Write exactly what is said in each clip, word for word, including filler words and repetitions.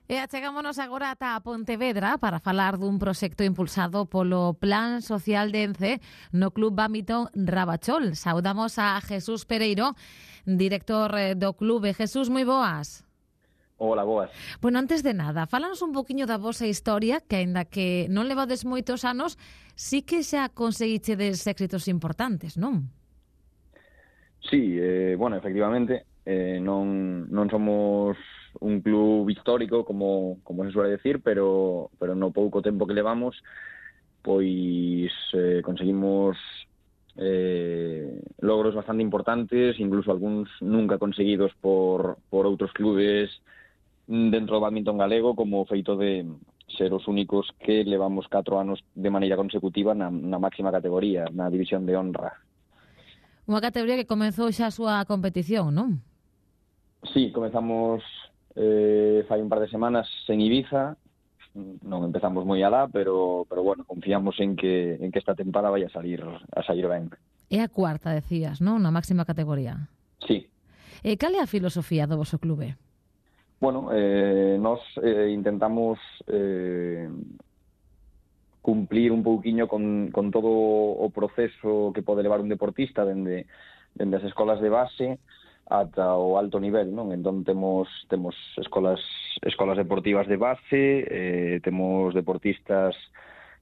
E achegámonos agora ata a Pontevedra para falar dun proxecto impulsado polo Plan Social de Ence no Club Badminton Rabachol. Saudamos a Jesús Pereiro, director do clube. Jesús, moi boas. Hola, boas. Bueno, antes de nada, fálanos un poquinho da vosa historia, que aínda que non levades moitos anos, sí que xa conseguichedes éxitos importantes, non? Sí, eh, bueno, efectivamente, eh, non, non somos un club histórico, como, como se suele decir, pero, pero no pouco tempo que levamos, pois eh, conseguimos eh, logros bastante importantes, incluso algúns nunca conseguidos por, por outros clubes dentro do badminton galego, como o feito de ser os únicos que levamos catro anos de maneira consecutiva na, na máxima categoría, na división de honra. Unha categoría que comezou xa a súa competición, non? Sí, comezamos eh, fai un par de semanas en Ibiza. Non empezamos moi alá, pero pero bueno, confiamos en que en que esta tempada vai a salir a salir ben. É a cuarta, decías, non? Na máxima categoría. Sí. E cal é a filosofía do voso clube? Bueno, eh, nos eh, intentamos eh, cumplir un pouquiño con, con todo o proceso que pode levar un deportista dende, dende as escolas de base ata o alto nivel, non? Entón temos temos escolas escolas deportivas de base, eh, temos deportistas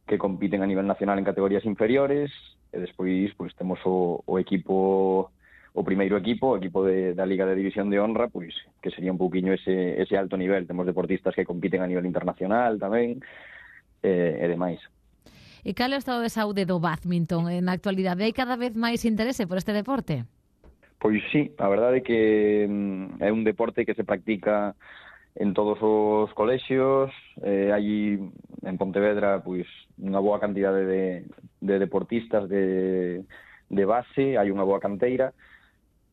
que compiten a nivel nacional en categorías inferiores, e despois pois temos o, o equipo o primeiro equipo, o equipo de, da Liga de División de Honra, pois que sería un pouquiño ese ese alto nivel. Temos deportistas que compiten a nivel internacional tamén, eh, e demais. E cal é o estado de saúde do badminton na actualidade? Hai cada vez máis interese por este deporte? Pois sí, a verdade é que mm, é un deporte que se practica en todos os colexios, eh, hai en Pontevedra pois unha boa cantidade de, de deportistas de, de base, hai unha boa canteira,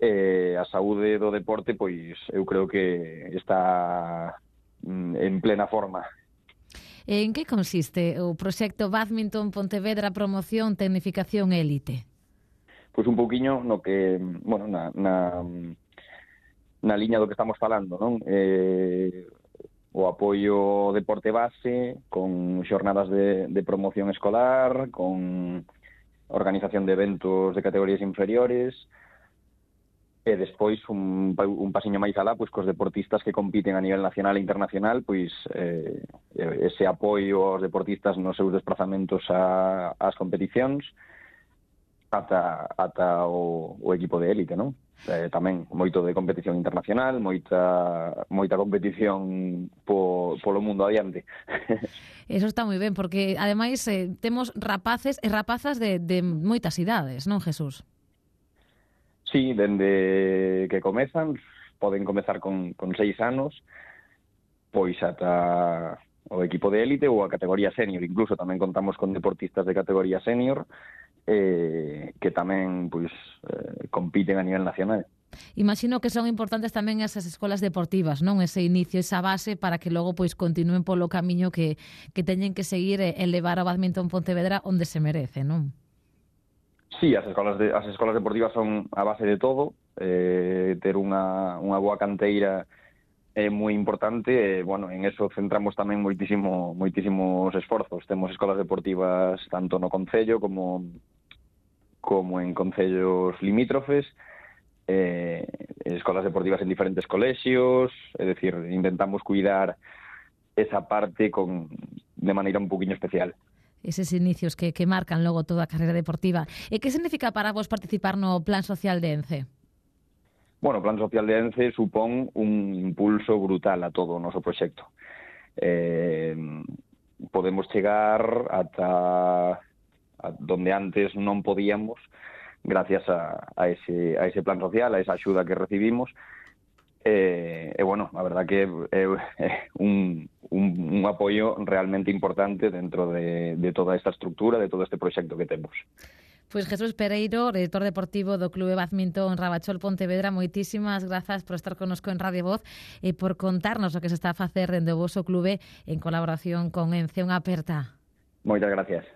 e a saúde do deporte pois eu creo que está mm, en plena forma. En que consiste o proxecto Badminton Pontevedra Promoción Tecnificación Élite? Pois un pouquiño no que, bueno, na, na, na liña do que estamos falando, non? Eh, o apoio ao deporte base, con xornadas de, de promoción escolar, con organización de eventos de categorías inferiores, e despois un, un pasiño máis alá, pois cos deportistas que compiten a nivel nacional e internacional, pois eh, ese apoio aos deportistas nos seus desplazamentos a, ás competicións, ata, ata o, o equipo de élite, non? Eh, tamén moito de competición internacional, moita moita competición po, polo mundo adiante. Eso está moi ben, porque ademais eh, temos rapaces e rapazas de, de moitas idades, non, Jesús? Sí, dende que comezan, poden comezar con, con seis anos, pois ata o equipo de élite ou a categoría senior. Incluso tamén contamos con deportistas de categoría senior, eh, que tamén pois eh, compiten a nivel nacional. Imagino que son importantes tamén esas escolas deportivas, non? Ese inicio, esa base para que logo pois continúen polo camiño que, que teñen que seguir e levar o badminton Pontevedra onde se merece, non? Sí, as escolas de, as escolas deportivas son a base de todo. Eh, ter unha, unha boa canteira é moi importante, e, bueno, en eso centramos tamén moitísimo, moitísimos esforzos. Temos escolas deportivas tanto no concello como, como en concellos limítrofes, eh, escolas deportivas en diferentes colexios, é dicir, intentamos cuidar esa parte con, de maneira un poquinho especial. Eses inicios que, que marcan logo toda a carreira deportiva. E que significa para vos participar no Plan Social de Ence? Bueno, o Plan Social de Ence supón un impulso brutal a todo o noso proxecto. Eh, podemos chegar ata a donde antes non podíamos gracias a, a, ese, a ese plan social, a esa axuda que recibimos. E, e bueno, a verdad que é, é un, un, un apoio realmente importante dentro de, de toda esta estructura, de todo este proxecto que temos. Pois Jesús Pereiro, director deportivo do Clube Badminton Rabachol Pontevedra, moitísimas grazas por estar connosco en Radio Voz e por contarnos o que se está a facer dende o voso clube en colaboración con Ence. Unha aperta. Moitas gracias.